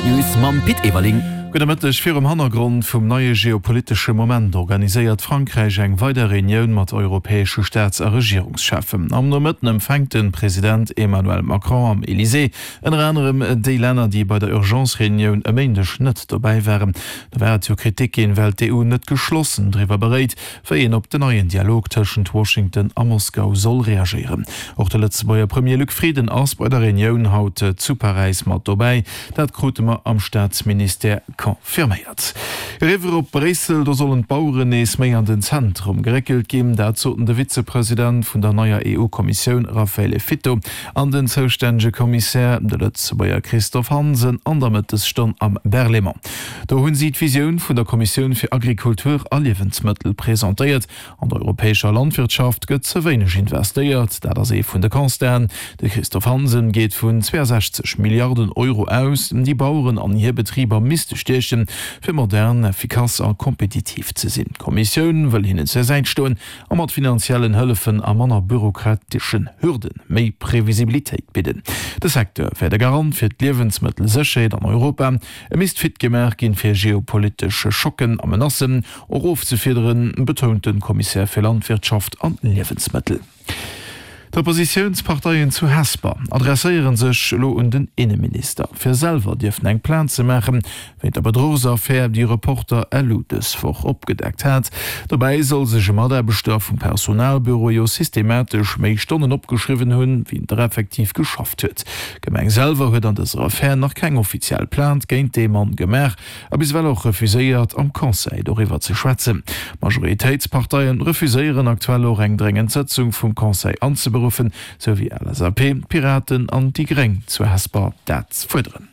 D'News mam Pit Everling. Gudde Mëtteg. Virum Hannergrond vum neie geopolitesche Moment organiséiert Frankräich eng weider Reunioun mat europäesche Staats a Regierungscheffen. Am Nomëtten empfänkt de President Emmanuel Macron am Elysée ënner anerem déi Länner, déi bei der Urgence-Reunioun e Méindeg net dobäi waren. Do war et jo Kritik ginn, well d'EU net geschlossen driwwer beréit, wéi een op den neien Dialog tëschent Washington a Moskau soll reagéieren. Och de Lëtzebuerger Premier Luc Frieden ass bei der Reunioun haut zu Paräis mat dobäi. Dat krute mer am Staatsministère confirméiert. Eriwwer op Bréissel, do sollen d'Baueren nees méi an den Zentrum geréckelt ginn. Dat soten de Vizepresident vun der neier EU-Kommissioun Raffaele Fitto an den zoustännege Kommissär, de Lëtzebuerger Christophe Hansen, an der Mëttesstonn am Berlaymont. Do hunn si d'Visioun vun der Kommissioun fir Agrikultur a Liewensmëttel presentéiert. An der europäescher Landwirtschaft gëtt ze wéineg investéiert, dat ass ee vun de Constaten. De Christophe Hansen geet vun 62 Milliarden Euro aus, déi Baueren an hir Betriber misste stiechen, fir modern, effikass a kompetitiv ze sinn. D'Kommissioun wëll hinnen zur Säit stoen a mat finanziellen Hëllefen a manner bürokrateschen Hürde méi Previsibilitéit bidden. De Secteur wär de Garant fir d'Liewensmëttelsécherheet an Europa. E misst fit gemaach ginn, fir geopolitesch Schocken a Menacen och ofzefiederen, betount de Kommissär fir Landwirtschaft an Liewensmëttel. D'Oppositiounsparteien zu Hesper adresséiere sech elo un den Inneminister, fir selwer dierfen eng Plainte ze maachen, wéint der Bedruchsaffär, déi Reporter elu dës Woch opgedeckt hat. Dobäi soll sech e Mataarbechter vum Personalbüro jo systematesch méi Stonnen opgeschriwwen hunn, wéi en der effektiv geschafft huet. D'Gemeng selwer huet an dëser Affär nach keng offiziell Plainte géint dee Mann gemaach a bis ewell och refuséiert, am Conseil doriwwer ze schwätzen. D'Majoritéitsparteien refuséieren aktuell och eng dréngend Sëtzung vum Conseil anzeberuffen, sou wéi LSAP, d'Piraten an déi Gréng zu Hesper dat fuerderen.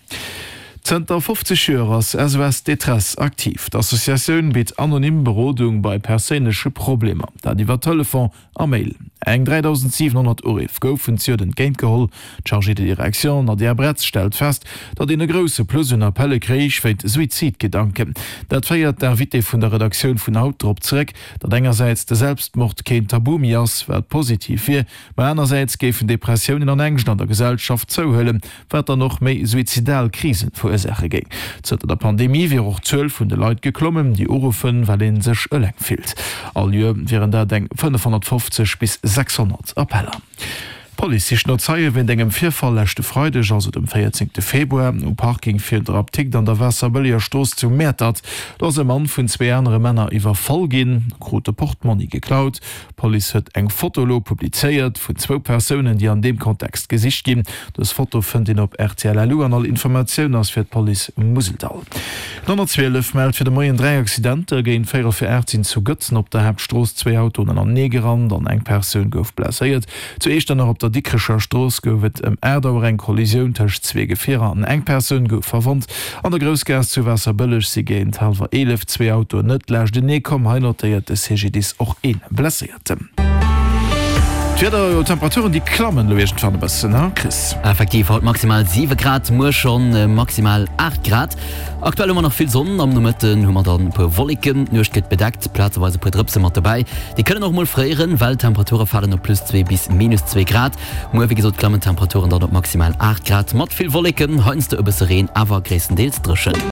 Zënter 50 Joer ass SOS Détresse aktiv. D'Associatioun bitt anonym Berodung bei perséinleche Problemer, dat iwwer Telefon a Mail. Eng 3.700 Uriff goufen zejoert entgéintgeholl. D'Chargée de direction Nadia Bretz stellt fest, datt een e grousse Plus un Appelle kréich wéint Suizidgedanken. Dat féiert d'Invitée vun der Redaktioun vun haut drop zeréck, datt engersäits de Selbstmord keen Tabu méi ass, wat positiv wier, ma anersäits géifen Depressiounen an Ängscht an der Gesellschaft zouhuelen, wat dann och méi suizidal Krisen verursaache géing. Zënter der Pandemie wier och d'Zuel vun de Leit geklommen, déi uruffen, well ee sech eleng fillt. All Joer wieren dat eng 550 bis 600 Appeller. D'Police sicht no Zeie wéint engem Virfall leschte Freideg, also dem 14 Februar, um Parking virun der Apdikt an der Waasserbëlleger Strooss zu Mäertert. Do ass e Mann vun zwee anere Männer iwwerfall ginn, krut de Portmonni geklaut. D'Police huet eng Foto elo publizéiert vun zwou Persounen, déi an deem Kontext gesicht ginn. Dës Foto fënnt een op rtl LU an all Informatioun ass fir d'Police Museldall. Den 112 mellt fir de Moien 3 Accidenter. Géint véierel vir 8 sinn zu Gëtzen op der Haaptstrooss zwéi Autoen anenee gerannt an eng Persoun gouf blesséiert. Zu Eechternach op der Dikrecher Strooss gouf et ëm 8 Auer eng Kollisioun tëscht zwee Gefierer an eng Persoun gouf verwonnt. An der Groussgaass zu Waasserbëlleg si géint hallwer 11 zwee Autoen net laachtenee komm. Hei notéiert de CGDIS och ee Blesséierten. D'Wieder, jo d'Temperaturen déi klammen elo iergendwann e bëssen, he Chris? Effektiv, haut maximal 7 Grad, muer schonn maximal 8 Grad. Aktuell hu mer nach vill Sonn, am Nomëtten hu mer dann e puer Wolleken, d'Nuecht gëtt bedeckt, plazeweis e puer Drëpse mat dobäi. Déi kënnen och mol fréieren, well d'Temperature falen op plus 2 bis minus 2 Grad. Muer wéi gesot klammen d'Temperaturen dann op maximal 8 Grad, mat vill Wolleken, heiansdo e bësse Reen, awer gréisstendeels dréchen.